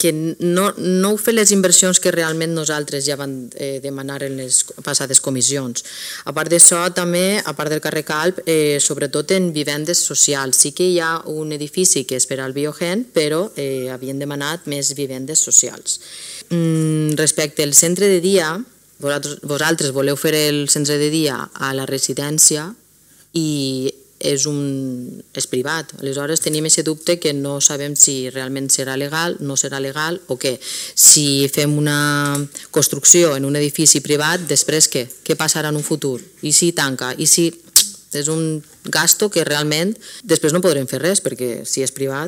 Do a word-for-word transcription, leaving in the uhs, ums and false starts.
que no, no heu fet les inversions que realment nosaltres ja vam eh, demanar en les passades comissions. A part d'això, també, a part del carrer Calp, eh, sobretot en vivendes socials. Sí que hi ha un edifici que és per al Biogen, però eh, havien demanat més vivendes socials. Mm, respecte al centre de dia, vosaltres, vosaltres voleu fer el centre de dia a la residència i és, un, és privat. Aleshores tenim aquest dubte que no sabem si realment serà legal, no serà legal o què. Si fem una construcció en un edifici privat, després què? Què passarà en un futur? I si tanca? I si... És un gasto que realment després no podrem fer res, perquè si és privat